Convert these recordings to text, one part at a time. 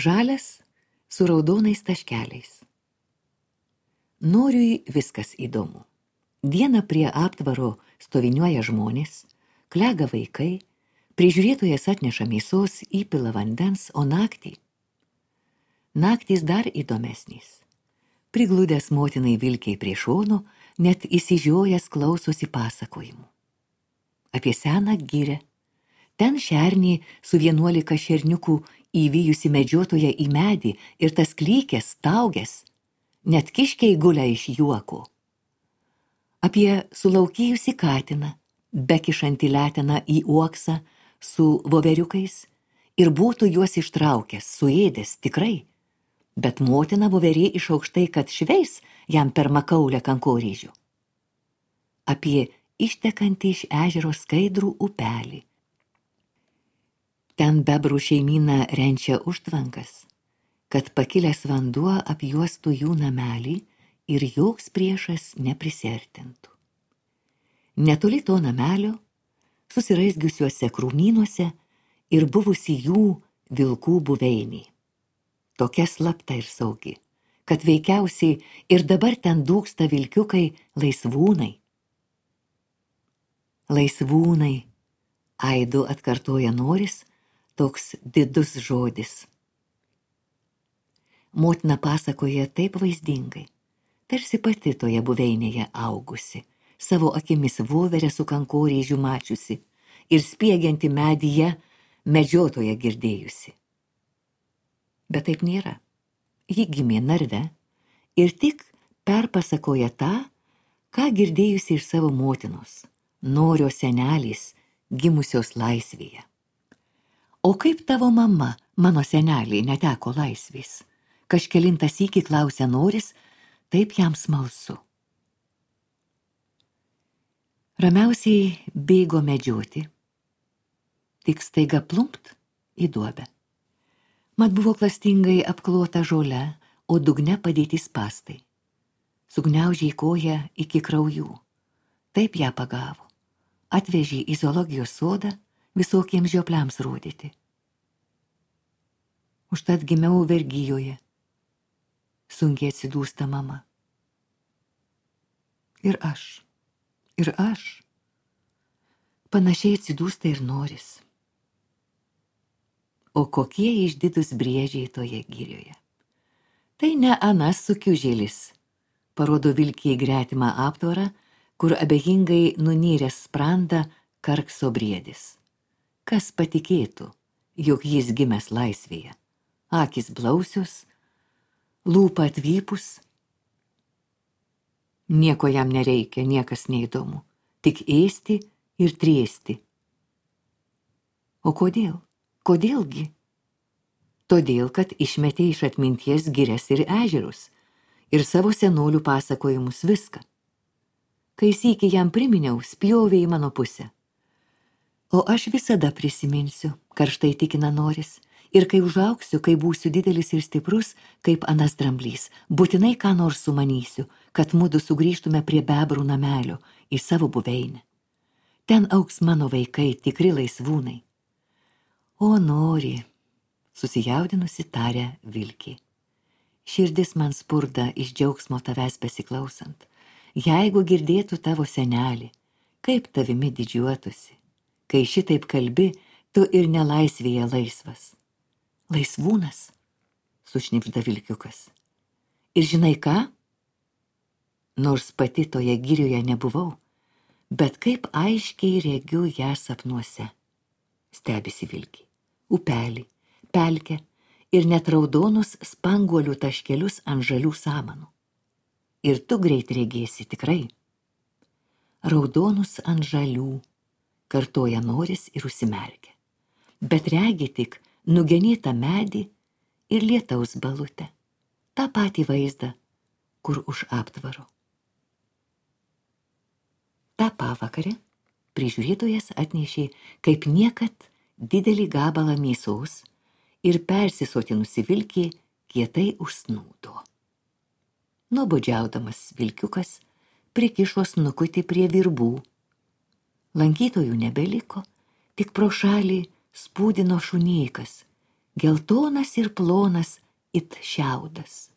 Žalias su raudonais taškeliais. Noriui viskas įdomu. Dieną prie aptvaro stoviniuoja žmonės, klega vaikai, prižiūrėtojas atneša mėsos, įpila vandens, o naktys dar įdomesnės. Prigludęs motinai vilkiai prie šono, net įsižiojęs klausosi pasakojimų. Apie seną girę. Ten šernė su 11 šerniukų įvijusi medžiotoje į medį ir tas klykės, staugės, net kiškiai gulia iš juoko. Apie sulaukėjusi katiną, bekišantį leteną į uoksą su voveriukais ir būtų juos ištraukęs, suėdęs tikrai, bet motina voverė iš aukštai, kad šveis jam per makaulę kankorėžių. Apie ištekantį iš ežero skaidrų upelį. Ten bebrų šeimyna renčia užtvankas, kad pakilęs vanduo apjuostų jų namelį ir joks priešas neprisertintų. Netoli to namelio, susiraizgiusiuose krūmynuose ir buvusi jų vilkų buveinė. Tokia slapta ir saugi, kad veikiausiai ir dabar ten dūksta vilkiukai laisvūnai. Laisvūnai, aidu atkartoja Noris, toks didus žodis. Motina pasakoja taip vaizdingai, tarsi pati toje buveinėje augusi, savo akimis voverę su kankorėžiu mačiusi ir spiegianti medyje medžiotoje girdėjusi. Bet taip nėra. Ji gimė narve ir tik perpasakoja tą, ką girdėjusi iš savo motinos, Norio senelės, gimusios laisvėje. O kaip tavo mama, mano senelė, neteko laisvės? Kažkelintą sykį klausia Noris, taip jam smalsu. Ramiausiai bėgo medžioti, tik staiga plumpt į duobę. Mat buvo klastingai apklota žole, o dugne padėti spąstai. Sugniaužė koją iki kraujų. Taip ją pagavo. Atvežė į zoologijos sodą visokiems žiopliams rodyti. Užtat gimiau vergijoje. Sunkiai atsidūsta mama. Ir aš. Panašiai atsidūsta ir Noris. O kokie išdidus briežiai toje girioje. Tai ne anas sukiužėlis, parodo vilkiai gretimą aptvarą, kur abejingai nunyręs sprandą karkso briedis. Kas patikėtų, jog jis gimęs laisvėje? Akis blausios, lūpa atvypus. Nieko jam nereikia, niekas neįdomu, tik ėsti ir triesti. O kodėl? Kodėlgi? Todėl, kad išmetė iš atminties girias ir ežerus ir savo senolių pasakojimus viską. Kai sykį jam priminiau, spjovė į mano pusę. O aš visada prisiminsiu, karštai tikina Noris, ir kai užaugsiu, kai būsiu didelis ir stiprus, kaip anas dramblys, būtinai ką nors sumanysiu, kad mudu sugrįžtume prie bebrų namelio į savo buveinę. Ten augs mano vaikai, tikri laisvūnai. O Nori, susijaudinusi tarė vilkė. Širdis man spurda iš džiaugsmo tavęs besiklausant. Jeigu girdėtų tavo senelį, kaip tavimi didžiuotųsi. Kai šitaip kalbi, tu ir nelaisvėje laisvas. Laisvūnas, sušnibžda vilkiukas. Ir žinai ką? Nors pati toje girioje nebuvau, bet kaip aiškiai regiu ją sapnuose. Stebisi vilkiai. Upelį, pelkę ir net raudonus spanguolių taškelius ant žalių samanų. Ir tu greit regėsi tikrai. Raudonus ant žalių, kartoja Noris ir užsimerkia. Bet regi tik nugenėtą medį ir lietaus balutę. tą patį vaizdą, kur už aptvaro. Ta pavakarė prižiūrėtojas atnešė kaip niekad didelį gabalą mėsos ir persisotinusi vilkė kietai užsnūdo. Nuobodžiaudamas vilkiukas prikišo snukutį prie virbų. Lankytojų nebeliko, tik pro šalį spūdino šunėkas, geltonas ir plonas it šiaudas.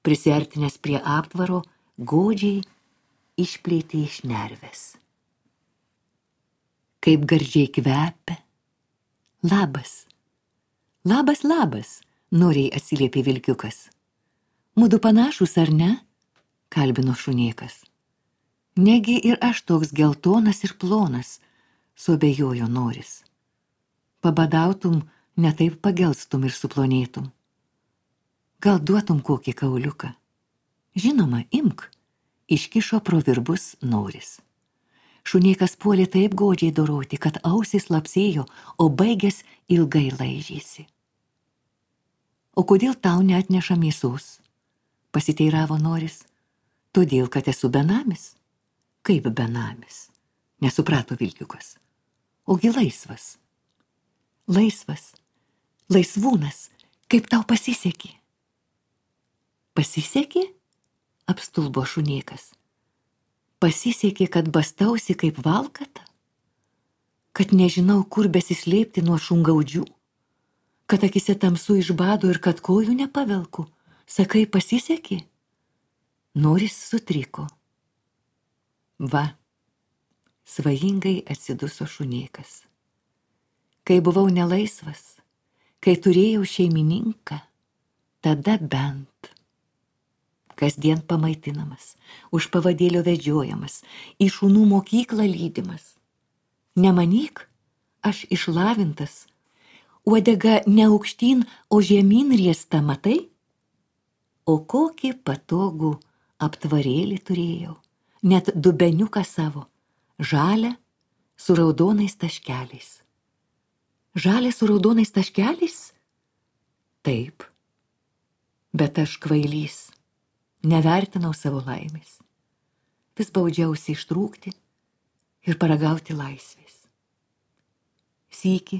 Prisiartinęs prie aptvaro, godžiai išplėtė šnerves. Kaip gardžiai kvepia. Labas. Labas, labas, noriai atsiliepė vilkiukas. Mudu panašus, ar ne? Kalbino šunėkas. Negi ir aš toks geltonas ir plonas, suabejojo Noris. Pabadautum, ne taip pagelstum ir suplonėtum. Gal duotum kokį kauliuką? Žinoma, imk, iškišo pro virbus Noris. Šunėkas puolė taip godžiai doroti, kad ausys lapsėjo, o baigęs ilgai laižėsi. O kodėl tau neatneša mėsos? Pasiteiravo Noris. Todėl, kad esu benamis. Kaip benamis? Nesuprato vilkiukas. Ogi laisvas. Laisvas. Laisvūnas. Kaip tau pasisekė? Pasisekė? Apstulbo šunėkas. Pasisekė, kad bastausi kaip valkata? Kad nežinau, kur besislėpti nuo šungaudžių? Kad akise tamsu iš bado ir kad kojų nepavelku? Sakai, pasisekė? Noris sutriko. Va, svajingai atsiduso šunėkas. Kai buvau nelaisvas, kai turėjau šeimininką, tada bent. Kasdien pamaitinamas, už pavadėlio vedžiojamas, į šunų mokyklą lydimas. Nemanyk, aš išlavintas, uodega ne aukštyn, o žemyn riesta, matai? O kokį patogų aptvarėlį turėjau, net dubeniuką savo, žalią su raudonais taškeliais. Žalią su raudonais taškeliais? Taip, bet aš kvailys. Nevertinau savo laimės. Vis baudžiausi ištrūkti ir paragauti laisvės. Sykį,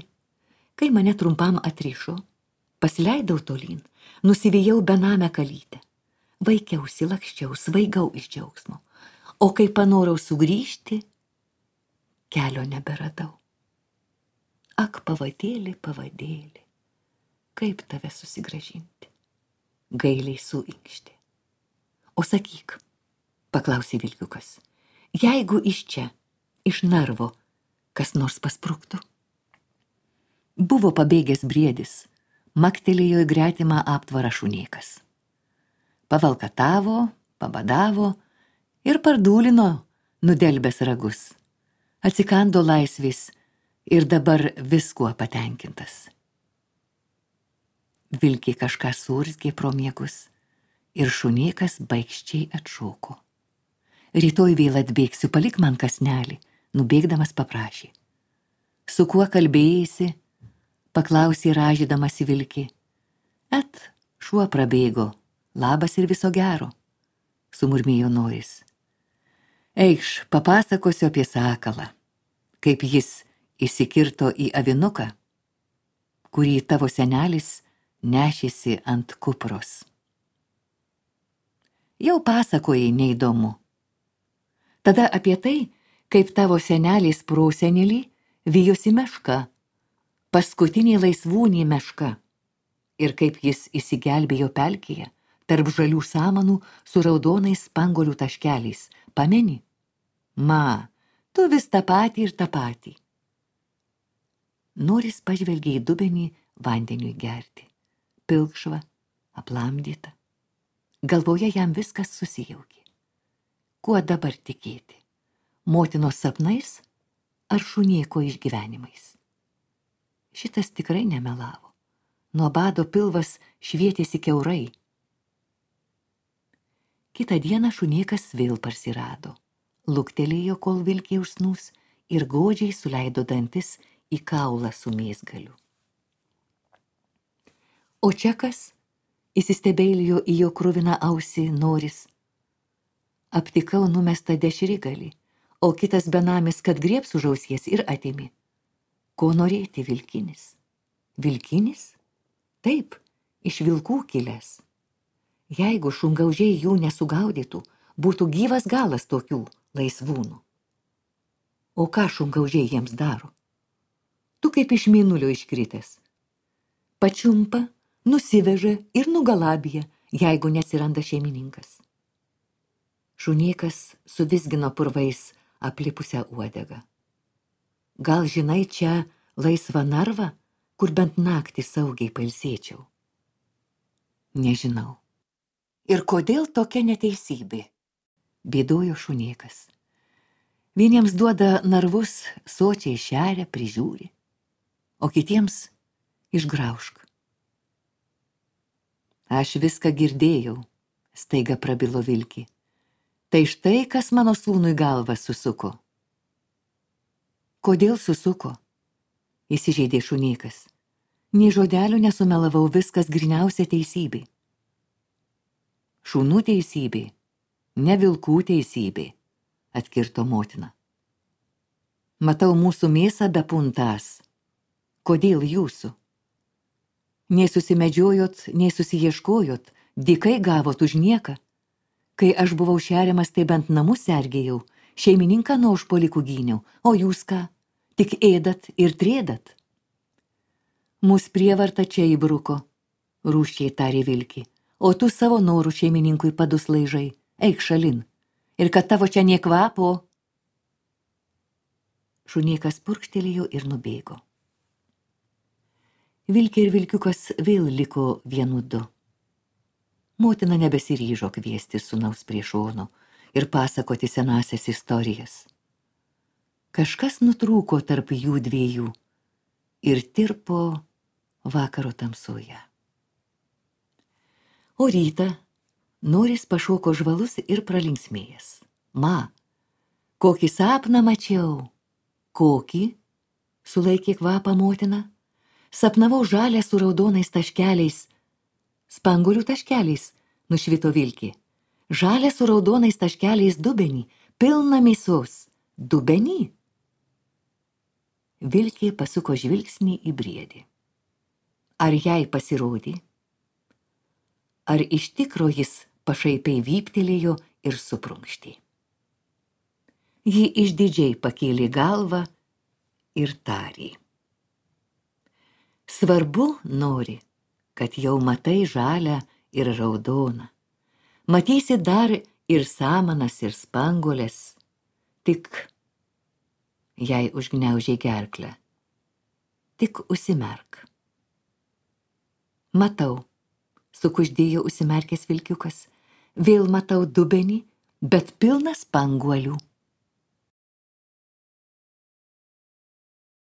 kai mane trumpam atrišo, pasileidau tolyn, nusivijau benamę kalytę. Vaikiausi, lakščiau, svaigau iš džiaugsmo. O kai panorau sugrįžti, kelio neberadau. Ak, pavadėlį, pavadėlį, kaip tave susigrąžinti? Gailiai suinkštė. O sakyk, paklausė vilkiukas, jeigu iš čia, iš narvo, kas nors paspruktų? Buvo pabėgęs briedis, maktelėjo į gretimą aptvarą šunėkas. Pavalkatavo, pabadavo ir pardūlino, nudelbęs ragus. Atsikando laisvės ir dabar viskuo patenkintas. Vilkė kažką suurzgė pro miegus. Ir šunėkas baikščiai atšoko. Rytoj vėl atbėgsiu, palik man kasnelį, nubėgdamas paprašė. Su kuo kalbėjasi? Paklausė ražydamas į vilkį. Et, šuo prabėgo, labas ir viso gero, sumurmėjo Noris. Eikš, papasakosiu apie sakalą, kaip jis įsikirto į avinuką, kurį tavo senelis nešėsi ant kupros. Jau pasakojai neįdomu. Tada apie tai, kaip tavo senelis prosenelį vijosi meška, paskutinė laisvūnė meška, ir kaip jis įsigelbėjo pelkėje, tarp žalių samanų su raudonais spangolių taškeliais. Pameni? Ma, tu vis tą patį ir tą patį. Noris pažvelgė į dubenį vandeniui gerti. Pilkšva, aplamdyta. Galvoje jam viskas susijaukė. Kuo dabar tikėti? Motinos sapnais ar šunėko išgyvenimais? Šitas tikrai nemelavo. Nuo bado pilvas švietėsi kiaurai. Kitą dieną šunėkas vėl parsirado. Luktelėjo, kol vilkė užsnūs, ir godžiai suleido dantis į kaulą su mėsgaliu. O čia kas? Įsistebeilijo į jo kruviną ausį Noris. Aptikau numestą dešrigalį, o kitas benamis, kad griebs už ausies ir atėmė. Ko norėti vilkinis? Vilkinis? Taip, iš vilkų kilęs. Jeigu šungaužiai jų nesugaudytų, būtų gyvas galas tokių laisvūnų. O ką šungaužiai jiems daro? Tu kaip iš mėnulio iškritęs. pačiumpa, nusiveža ir nugalabija, jeigu neatsiranda šeimininkas. Šunėkas suvizgino purvais aplipusią uodegą. Gal žinai čia laisvą narvą, kur bent naktį saugiai pailsėčiau? Nežinau. Ir kodėl tokia neteisybė? Bėdojo šunėkas. Vieniems duoda narvus, sočiai šeria, prižiūri, o kitiems išgraužk. Aš viską girdėjau, staiga prabilo Vilkį. Tai štai, kas mano sūnui galvą susuko. Kodėl susuko? Įsižeidė šunėkas. Nė žodelių nesumelavau, viskas gryniausia teisybė. Šunų teisybė, ne vilkų teisybė, atkirto motina. Matau mūsų mėsą be puntas. Kodėl jūsų? Nei susimedžiojot, nei susiieškojot, dykai gavot už nieką. Kai aš buvau šeriamas, tai bent namus sergėjau, šeimininką nuo užpuolikų gyniau, o jūs ką? Tik ėdat ir trėdat. Mūs prievarta čia įbruko, rūsčiai tarė Vilkį, o tu savo norų šeimininkui padus laižai, eik šalin, ir kad tavo čia nie kvapo. Šunėkas purkštelėjo ir nubėgo. Vilkė ir Vilkiukas vėl liko vienu du. Motina nebesiryžo kviesti sūnaus prie šono ir pasakoti senasias istorijas. Kažkas nutrūko tarp jų dviejų ir tirpo vakaro tamsoje. O rytą Noris pašoko žvalus ir pralinksmėjęs. Ma, kokį sapną mačiau? Kokį? Sulaikė kvapą motina. Sapnavau žalę su raudonais taškeliais. Spanguolių taškeliais, nušvito Vilkė. Žalę su raudonais taškeliais dubenį, pilna mėsos. Dubenį? Vilkė pasuko žvilgsnį į briedį. Ar jai pasirodė? Ar iš tikro jis pašaipiai vyptelėjo ir suprunkštė? Ji išdidžiai pakėlė galvą ir tarė. Svarbu, Nori, kad jau matai žalę ir raudoną. Matysi dar ir samanas, ir spanguolės. Tik, jai užgniaužė gerklę, tik užsimerk. Matau, sukuždėjo užsimerkęs Vilkiukas, vėl matau dubenį, bet pilną spanguolių.